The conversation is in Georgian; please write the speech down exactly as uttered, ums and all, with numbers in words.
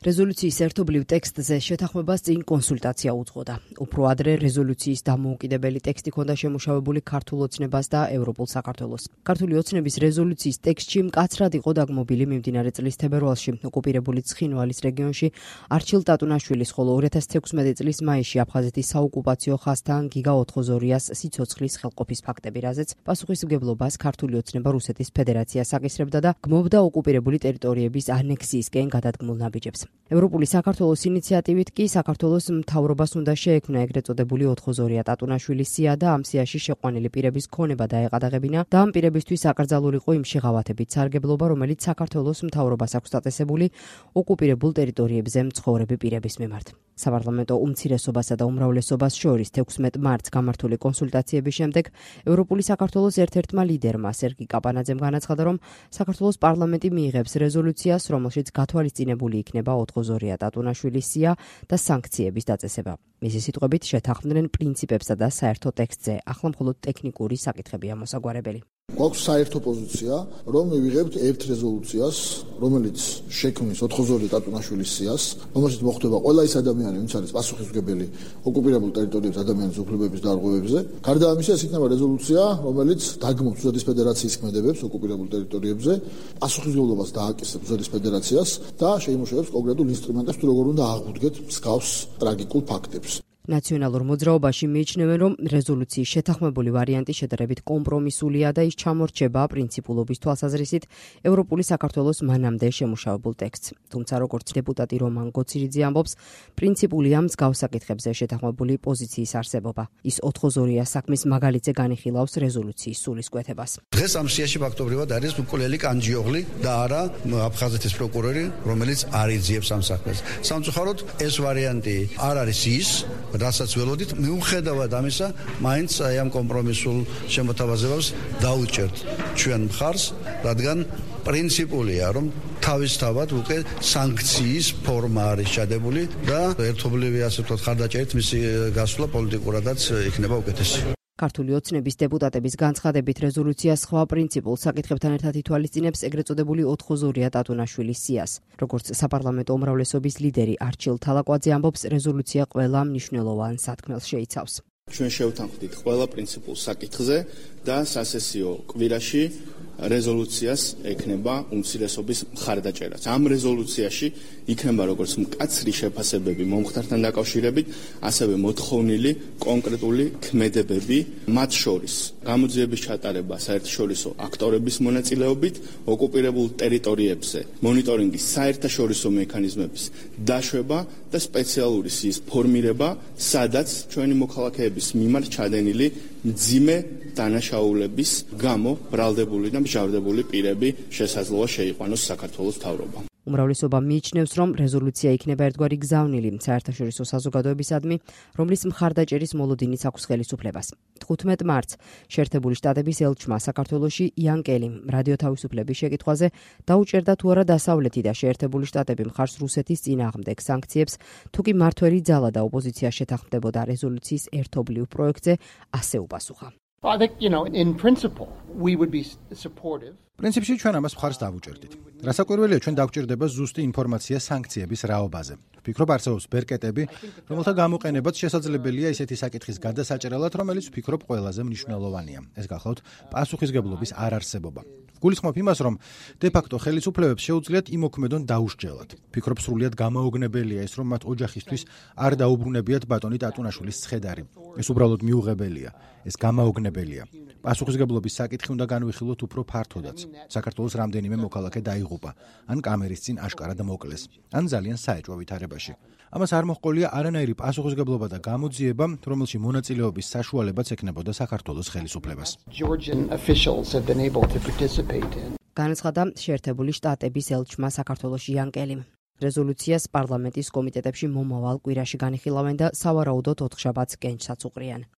რეზოლუციის ერთობლივ ტექსტზე შეთანხმებას წინ კონსულტაცია უძღოდა. უფრო ადრე რეზოლუციის დამოუკიდებელი ტექსტი ჰქონდა შემუშავებული ქართულ ოცნებას და ევროპულ საქართველოს. ქართული ოცნების რეზოლუციის ტექსტში მკაცრად იყო დაგმობილი მიმდინარე წლის თებერვალში ოკუპირებული ცხინვალის რეგიონში არჩილ ტატუნაშვილის, ხოლო ორი ათას თექვსმეტი წლის მაისში აფხაზეთის საოკუპაციო ხაზთან გიგა ოთხოზორიას სიცოცხლის ხელყოფის ფაქტები, რაზეც პასუხისმგებლობას ქართული ოცნება რუსეთის ფედერაციას აკისრებდა და გმობდა ოკუპირებული ტერიტორიების ანექსიისკენ გადადგმულ ნაბიჯებს. ევროპული საქართველოს ინიციატივით კი საქართველოს მთავრობას უნდა შეექმნა ეგრეთ წოდებული ოთხოზორია ტატუნაშვილის სია და ამ სიაში შეყვანილი პირების ქონება დაეყადაღებინა და ამ პირებისთვის აკრძალულიყო იმ შეღავათებით სარგებლობა, რომელიც საქართველოს მთავრობას აქვს დაწესებული ოკუპირებულ ტერიტორიებზე მცხოვრები პირების მიმართ. საპარლამენტო უმცირესობასა და უმრავლესობას შორის თექვსმეტ მარტს გამართული კონსულტაციების შემდეგ ევროპული საქართველოს ერთ-ერთმა ლიდერმა სერგი კაპანაძემ განაცხადა, რომ საქართველოს პარლამენტი მიიღებს რეზოლუციას, რომელშიც გათვალისწინებული იქნება ოთხოზორია ტატუნაშვილის სია და სანქციების დაწესება. მისი სიტყვებით შეთანხმდნენ პრინციპებსა და საერთო ტექსტზე, ახლა მხოლოდ ტექნიკური საკითხებია მოსაგვარებელი. გვაქვს საერთო პოზიცია, რომ მივიღებთ ერთ რეზოლუციას, რომელიც შექმნის ოთხოზორია ტატუნაშვილის სიას, რომელშიც მოხდება ყველა ის ადამიანი, ვინც არის პასუხისმგებელი ოკუპირებულ ტერიტორიებზე ადამიანის უფლებების დარღვევებზე. გარდა ამისა, ეს იქნება რეზოლუცია, რომელიც დაგმობს რუსეთის ფედერაციის ქმედებებს ოკუპირებულ ტერიტორიებზე, პასუხისმგებლობას დააკისრებს რუსეთის ფედერაციას და შეიმუშავებს კონკრეტულ ინსტრუმენტებს, თუ როგორ უნდა აღუდგეთ მსგავს ტრაგიკულ ფაქტებს. ნაციონალურ მოძრაობაში მიიჩნევენ, რომ რეზოლუციის შეთანხმებული ვარიანტი შედარებით კომპრომისულია და ის ჩამორჩება პრინციპულობის თვალსაზრისით ევროპული საქართველოს მანამდე შემუშავებულ ტექსტს. თუმცა, როგორც დეპუტატი რომან გოცირიძე ამბობს, პრინციპულია მსგავს საკითხებზე შეთანხმებული პოზიციის არსებობა. ის ოთხოზორია საქმის მაგალითზე განიხილავს რეზოლუციის სულისკვეთებას. დღეს ამ სიაში ფაქტობრივად არის მკვლელი კანჯიოღლი და არა აფხაზეთის პროკურორი, რომელიც არ იძიებს ამ საქმეს. სამწუხაროდ ეს ვარიანტი არ არის ის, რასაც ველოდით, მიუხედავად ამისა, მაინც აი ამ კომპრომისულ შემოთავაზებებს დაუჭერთ ჩვენ მხარს, რადგან პრინციპულია, რომ თავისთავად უკვე სანქციის ფორმა არის ჩადებული და ერთობლივი, ასე ვთქვათ, ხარდაჭერით მისი გასვლა პოლიტიკურადაც იქნება უკეთესი. ქართული ოცნების დეპუტატების განცხადებით რეზოლუცია სხვა პრინციპულ საკითხებთან ერთად ითვალისწინებს ეგრეთ წოდებული ოთხოზორია ტატუნაშვილის სიას. როგორც საპარლამენტო უმრავლესობის ლიდერი არჩილ თალაკვაძე ამბობს, რეზოლუცია ყველა მნიშვნელოვან სათქმელს შეიცავს. ჩვენ შევთანხმდით ყველა პრინციპულ საკითხზე და სასესიო კვირაში რეზოლუციას ექნება უმცირესობის მხარდაჭერაც. ამ რეზოლუციაში იქნება როგორც მკაცრი შეფასებები მომხდართან დაკავშირებით, ასევე მოთხოვნილი კონკრეტული ქმედებები, მათ შორის გამოძიების ჩატარება საერთაშორისო აქტორების მონაწილეობით, ოკუპირებულ ტერიტორიებზე მონიტორინგის საერთაშორისო მექანიზმების დაშვება და სპეციალური სიის ფორმირება, სადაც ჩვენი მოქალაქეების მიმართ ჩადენილი მძიმე დანაშაულების გამო ბრალდებული და მჟავდებული პირები შესაძლოა შეიყვანოს საქართველოს მთავრობამ. უმრავლესობა მიიჩნევს, რომ რეზოლუცია იქნება ერთგვარი გზავნილი საერთაშორისო საზოგადოებისადმი, რომლის მხარდაჭერის მოლოდინიც აქვს ხელისუფლებას. თხუთმეტ მარტს შეერთებული შტატების ელჩმა საქართველოში იან კელიმ რადიო თავისუფლების შეკითხვაზე დაუჭერდა თუ არა დასავლეთი და შეერთებული შტატები მხარს რუსეთის წინააღმდეგ სანქციებს, თუ კი მმართველი ძალა და ოპოზიცია შეთანხმდებოდა რეზოლუციის ერთობლივ პროექტზე, ასე უპასუხა. I think, you know, in principle, we would be supportive. პრინციპში ჩვენ ამას მხარს დავუჭერდით. რასაკვირველია, ჩვენ დავჭერდება ზუსტი ინფორმაცია სანქციების რაობაზე. ვფიქრობ, არსებობს ბერკეტები, რომელთა გამოყენებაც შესაძლებელია ისეთი საკითხის გადასაჭრელად, რომელიც ვფიქრობ ყველაზე მნიშვნელოვანია. ეს გახლავთ პასუხისგებლობის არარსებობა. გულისხმობ იმას, რომ დე-ფაქტო ხელისუფლებებს შეუძლიათ იმოქმედონ დაუსჯელად. ვფიქრობ, სრულიად გამაოგნებელია ის, რომ მათ ოჯახისთვის არ დაუბრუნებიათ ბატონი ტატუნაშვილის ცხედარი. ეს უბრალოდ მიუღებელია. ეს გამაოგნებელია. პასუხისგებლობის საკითხი უნდა განვიხილოთ უფრო ფართოდაც. საქართველოს რამდენიმე მოქალაქე დაიღუპა, ან კამერის წინ აშკარად მოკლეს, ან ძალიან საეჭვო ვითარებაში. ამას არ მოჰყოლია არანაირი პასუხისგებლობა და გამოძიება, რომელში მონაწილეობის საშუალებაც ექნებოდა საქართველოს ხელისუფლებას. განაცხადა შეერთებული შტატების ელჩმა საქართველოში იან კელიმ. რეზოლუციას პარლამენტის კომიტეტებში მომავალ კვირაში განიხილავენ და სავარაუდოდ ოთხშაბათს კენჭსაც უყრიან.